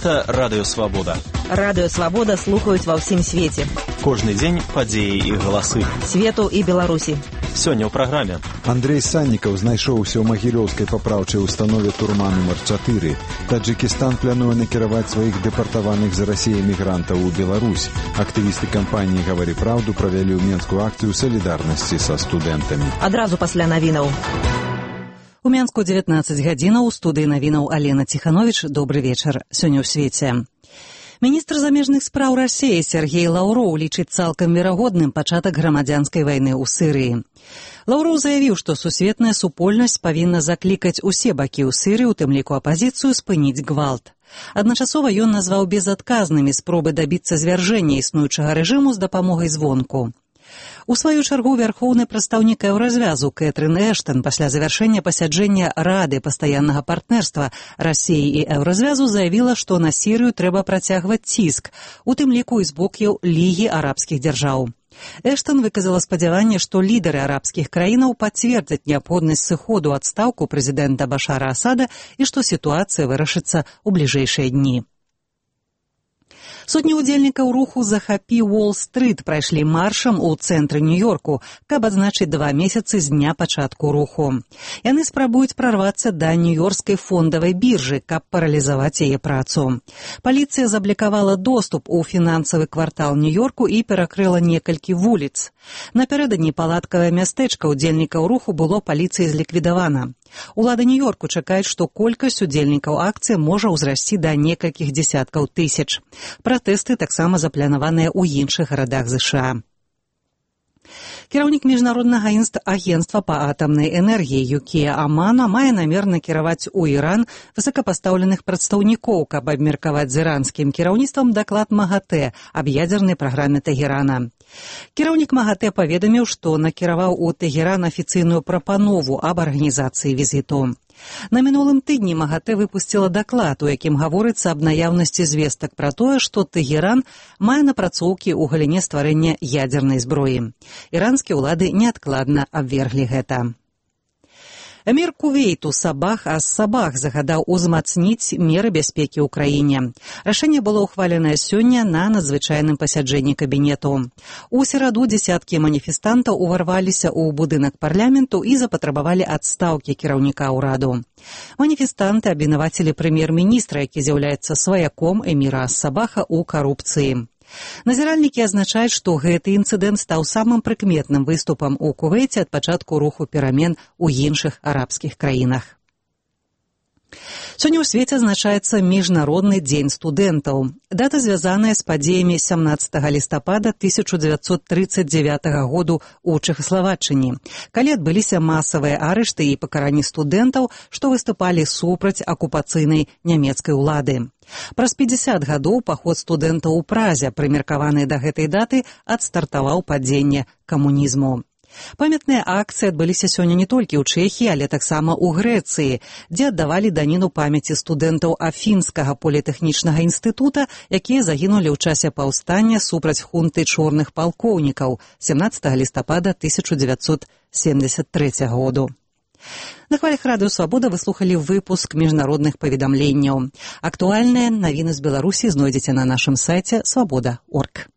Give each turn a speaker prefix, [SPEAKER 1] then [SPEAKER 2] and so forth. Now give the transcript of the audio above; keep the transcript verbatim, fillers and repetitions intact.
[SPEAKER 1] Гэта Радыё Свабода.
[SPEAKER 2] Радыё Свабода слухаюць ва ўсім свеце.
[SPEAKER 1] Кожны дзень падзеі і галасы.
[SPEAKER 2] Свету і Беларусі.
[SPEAKER 1] Сёння ў праграме.
[SPEAKER 3] Андрей Саннікаў знайшоўся ў магілёўскай папраўчай установе турма нумар чатыры. Таджикістан плануе накіраваць сваіх дэпартаваных з Расіі мігрантаў у Беларусь. Актывісты кампаніі «Гавары праўду» правялі ў Менску акцыю салідарнасці са студэнтамі.
[SPEAKER 2] Адразу пасля навінаў.
[SPEAKER 4] У Менску дзевятнаццаць гадзінаў, у студыі навінаў Алена Ціхановіч. Добры вечар. Сёння ў свеце. Міністр замежных спраў Расіі Сергей Лаўроў лічыць цалкам верагодным пачатак грамадзянскай вайны ў Сірыі. Лаўроў заявіў, што сусветная супольнасць павінна заклікаць усе бакі ў Сірыі, у тым ліку апазіцыю, спыніць гвалт. Адначасова ён назваў безадказнымі спробы дабіцца звяржэння існуючага рэжыму з дапамогай звонку. У сваю чаргу вярхоўны прадстаўнік еўразвязу Кэтрын Эштан пасля завяршэння пасяджэння Рады пастаяннага партнерства Расіі і еўразвязу заявіла, што на Сірыю трэба працягваць ціск, у тым ліку і з боку Лігі арабскіх дзяржаў. Эштан выказала спадзяванне, што лідары арабскіх краінаў пацвердзяць неабходнасць сыходу ў адстаўку прэзідэнта Башара Асада і што сітуацыя вырашыцца ў бліжэйшыя дні. Сотні ўдзельнікаў руху «Захапі Уолл-стрыт» прайшлі маршам у цэнтры Нью-Йорку, каб адзначыць два месяцы з дня пачатку руху. Яны спрабуюць прарвацца да нью-йоркскай фондавай біржы, каб паралізаваць яе працу. Паліцыя заблакавала доступ у фінансавы квартал Нью-Йорку і перакрыла некалькі вуліц. Напярэдадні палаткавае мястэчка ўдзельнікаў руху было паліцыяй зліквідавана. Улады Нью-Йорку чакаюць, што колькасць удзельнікаў акцыі можа ўзрасці да некалькіх дзесяткаў тысяч. Пратэсты таксама запланаваныя ў іншых гарадах ЗША. Кіраўнік міжнароднага агенцтва па атамнай энергіі Юкія Амано мае намер накіраваць у Іран высокапастаўленых прадстаўнікоў, каб абмеркаваць з іранскім кіраўніцтвам даклад МАГАТЭ аб ядзернай праграме Тэгерана. Кіраўнік МАГАТЭ паведаміў, што накіраваў у Тэгеран афіцыйную прапанову аб арганізацыі візіту. На мінулым тыдні МАГАТЭ выпусціла даклад, у якім гаворыцца аб наяўнасці звестак пра тое, што Тэгеран мае напрацоўкі ў галіне стварэння ядзернай зброі. Іранскія ўлады неадкладна абверглі гэта. Эмір Кувейту Сабах ас-Сабах загадаў узмацніць меры бяспекі ў краіне. Рашэнне было ўхваленае сёння на надзвычайным пасяджэнні кабінету. У сераду дзесяткі маніфестантаў уварваліся ў будынак парламенту і запатрабавалі адстаўкі кіраўніка ўраду. Маніфестанты абвінавацілі прэм'ер-міністра, які з'яўляецца сваяком эміра ас-Сабаха ў карупцыі. Назіральнікі азначаюць, што гэты інцыдэнт стаў самым прыкметным выступам у Кувейце ад пачатку руху перамен у іншых арабскіх краінах. Сёння ў свеце адзначаецца Міжнародны дзень студэнтаў. Дата звязаная з падзеямі сямнаццатага лістапада тысяча дзевяцьсот трыццаць дзевятага году ў Чэхаславаччыне, калі адбыліся масавыя арышты і пакаранні студэнтаў, што выступалі супраць акупацыйнай нямецкай улады. Праз пяцьдзясят гадоў паход студэнтаў у Празе, прымеркаваны да гэтай даты, адстартаваў падзенне камунізму. Памятныя акцыі адбыліся сёння не толькі ў Чэхіі, але таксама ў Грэцыі, дзе аддавалі даніну памяці студэнтаў Афінскага політэхнічнага інстытута, якія загінулі ў часе паўстання супраць хунты чорных палкоўнікаў сямнаццатага лістапада тысяча дзевяцьсот семдзесят трэцяга году. На хвалях Радыё Свабода вы слухалі выпуск міжнародных паведамленняў. Актуальныя навіны з Беларусі знойдзеце на нашым сайце свабода точка орг.